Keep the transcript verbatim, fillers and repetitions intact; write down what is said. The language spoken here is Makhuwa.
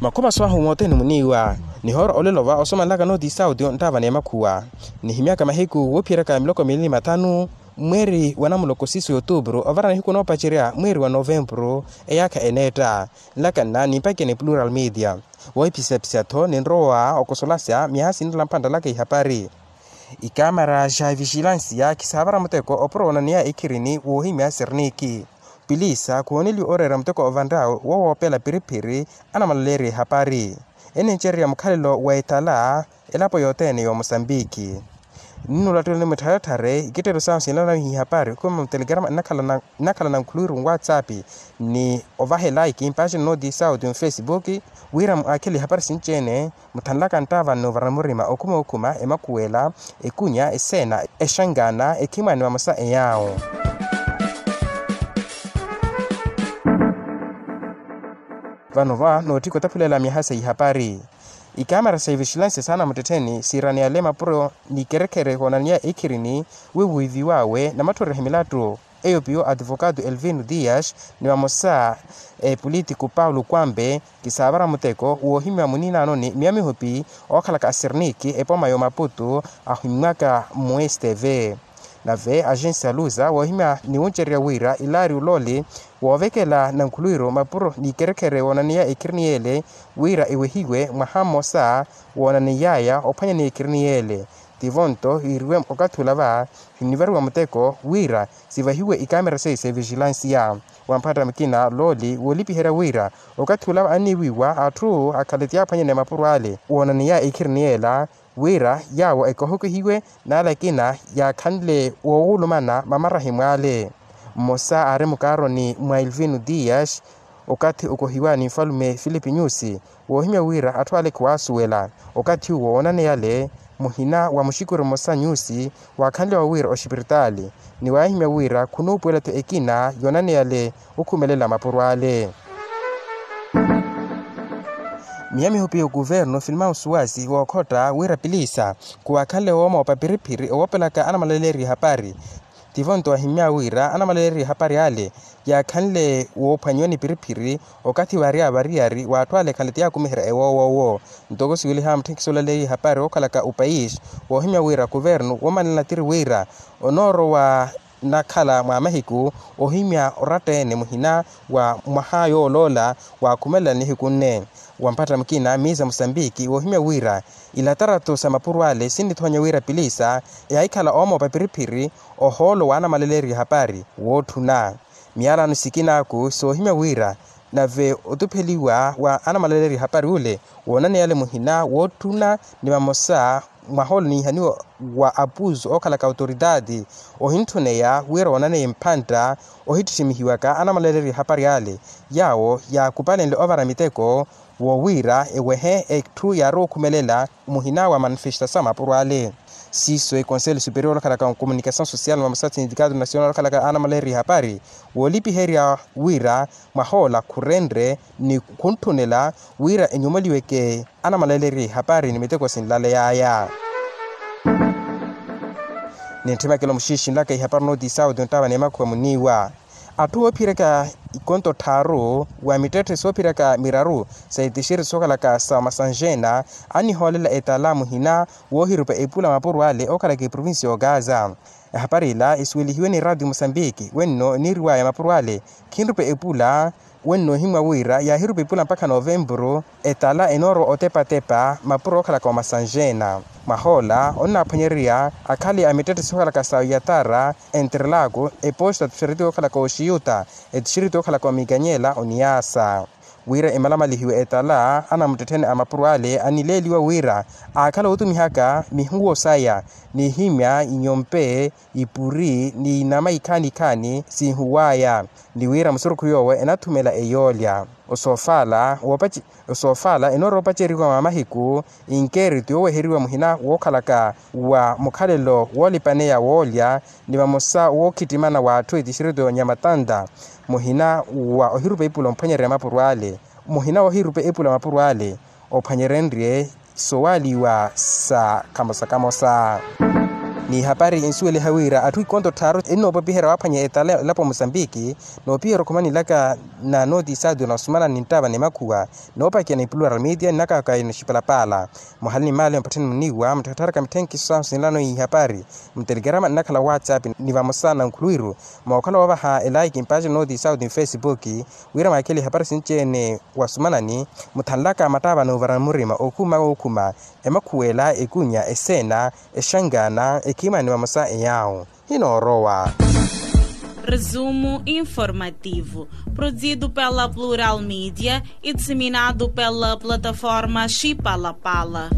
Makhumaso ahu mothene muniiwa nihoora olelo va osomanlaka nooti sauti onttaava n'emakhuwa. Nihimyaka mahiku woophiyeryaka miloko miili ni mathanu mweeri wa namuloko siiso y'otuupuru ovara nihiku noopacerya mweeri wa novempuru eyaakha eneetta. Nlakanna nimpakeni plural media. Woohipisapisa-tho ninrowa okosolasya myaha sinrela mphantta laka ihapari. Ikamara ja vijilansiya khisaavara muteko opuro woonaneya ikhirini woohimya sirniiki. Pilisa khuhooneliwe ooreera muteko ovanttawe wo woopela piriphiri anamalaleeriye ehapari. Enincererya mukhalelo wa etala elapo yothene y'omosambiki. Ninnulattuwela ni muttharetthareye ikitteelo sahu sinlanawiha ihapari okhuma mutelegrama nnakhala na nkhuluwiru nwatsapp ni ovaha elaiki mpaci nnooti sauti nfesipuki wira mwakhele ihapari sinci-ene. Muthanlaka nttaava nnuuvara murima okhuma okhuma emakhuwela, ekunya eseena, exankaana ekhimwaani vamosa eyaawo. Vano va nootthika otaphulela myaha sa ihapari. Ikamera sa ivixilanse saana muttettheni siiraniale mapuro ni ikerekhere woonaneya ekhirini wi wiiviwaawe namatthoriha milattu. Eyo piyo ativokatu elvino dias ni vamosa epulitiku paulo kwampe kisaavara muteko woohimya muniinaanoni miya mihupi ookhalaka asirniiki epoma y'omaputu ahimmwaka mmuwesteve. Nave agensi ya luza woohimya ni wuncererya wira ilaari ulooli woovekela nankhuluwiru mapuro ni ikerekhere woonaneya ekhirini yeele wira ewehiwe mwaha mmosa woonaney'aya ophwanyaneya ekhirini yeele. Tivo nto yiiriwe okathi ula va hinnivariwa muteko wira sivahiwe ikamera seiya sa evijilansiya. Wamphatta mukina looli woolipiherya wira okathi ula anniiwiiwa atthu akhale tiyaaphwanyaneya mapuro ale woonaneya ekhirini yeela wira yaawo ekohokihiwe n'ale akina yaakhanle woowulumana mamarahi mw'ale. Mmosa aari mukaaroni mwa elvino dias okathi okohiwa ni nfalume filipi nyusi woohimya wira atthu ale khiwaasuwela okathi uwo woonaneyale muhina wa muxikuru mmosa nyusi waakhanliwa wira oxipiritaali ni waahimya wira khunuupuwela-tho ekina yoonaneyale okhumelela mapuro ale. Miya mihupi y'okuvernu filmao suwasi wookhotta wira pilisa khuwaakhanle woomoopa piriphiri owoopelaka anamalaleeriye ehapari. Tivo nto wahimmya wira anamalaleeriye ehapari ale yaakhanle woophwanyiwa ni piriphiri okathi waary'avariyari w'atthu ale ekhale tiyaakumiherya ewoowo owo. Ntoko siweliha mutthenkisi olaleeriye ehapari ookhalaka opayisi woohimya wira kuvernu woomanela tiri wira onoorowa nakhala mwa mahiku ohimya oratta-ene muhina wa mwaha yooloola waakhumelela nihiku nne. Wamphatta mukina miiza musambiki woohimya wira ilatarato sa mapuro ale sinnithoonya wira pilisa yaahikhala oomoopa piriphiri ohoolo w'anamalaleeriye ehapari wootthuna. Miyalano sikinaaku soohimya wira nave otupheliwa wa anamalaleeriye ehapari ule woonaneyale muhina wootthuna ni vamosa mwaha ole oniihaniwa wa apusu ookhalaka autoridade ohintthuneya wira woonaneye mphantta ohittittimihiwaka anamalaleeriye ehapari ale yaawo yaakupalenle ovara miteko wowiira ewehe etthu yaarowa okhumelela muhina wa manifestasaw a mapuro ale. Siiso econselho superior okhalaka nkomunikasaw social mwa musatsi nitikato nasional okhalaka anamalaleeriye ehapari woolipiherya wira mwaha ola khurenre ni khuntthunela wira enyumoliweke anamalaleeriye ehapari ni miteko sinlaley'aya. Nintthimekelo muxiixinlaka ihapari nooti sauti onttaava n'emakhuwa muniiwa atthu oophiyeryaka ikonto tthaaru wa mittetthe soophiyeryaka miraru sa itixiri sookhalaka sa masanjeena annihoolela etala muhina woohirupa epula mapuro ale ookhalaka eprovincia y'okaza. Ehapari ila esuwelihiwe ni raatiyo musambiki wenno eniiriw'aya mapuro ale khinrupa epula wenno ohimwa wira yaahirupa epula mpakha novempuru etala enoorowa otepatepa mapuro ookhalaka omasanjeena. Mwaha ola onnaaphwanyererya akhale a mittetthe sookhalaka sa oyatara, enterlako, eposta tuxereti ookhalaka oxiyuta, etuxereti ookhalaka omikanyela oniyaasa. Wira emalamalihiwe etala anamuttettheni a mapuro ale anileeliwa wira aakhala ootumihaka mihuwo saya nihimya inyompe ipuri ni inama ikhaani ikhaani siihuw'aya ni wira musurukhu yoowo enathumela eyoolya. Osoofaala woopace osoofaala enoorowa opaceriwa mwa mahiku inkeeritu yooweheriwa muhina wookhalaka wa mukhalelo woolipaneya woolya ni vamosa wookhittimana w'atthu etixirito nyamatantta muhina wa ohirupa epula omphwanyererya mapuro ale muhina woohirupa epula mapuro ale ophwanyerenrye sowaaliwa sa kamosa-kamosa. Ihapari insuweliha wira atthu ikonto tthaaru ennoopopiherya waaphwanya etala elapo musambiki, noopiherya okhumanilaka na nooti saudi na osumanani nttava ni makhuwa noopakiya ni plural media nnakaka ino xipalapaala. Muhali ni maali mpattheni muniiwa mutthattharaka mitthenkhiso sahu sinlano ihapari mutelekerama nnakhala whatsapp ni vamosa na nkhuluwiru mookhala woovaha elaiki mpaaci nooti saudi ni facebook, wira mwaakhele ihapari sinci-ene wasumanani muthanlaka mattaava noovara murima okhuma wookhuma, emakhuwela ekunya eseena, exangaana ekhiimani vamosa eyaawo hinoorowa. Resumo informativo, produzido pela plural media e disseminado pela plataforma xipalapala.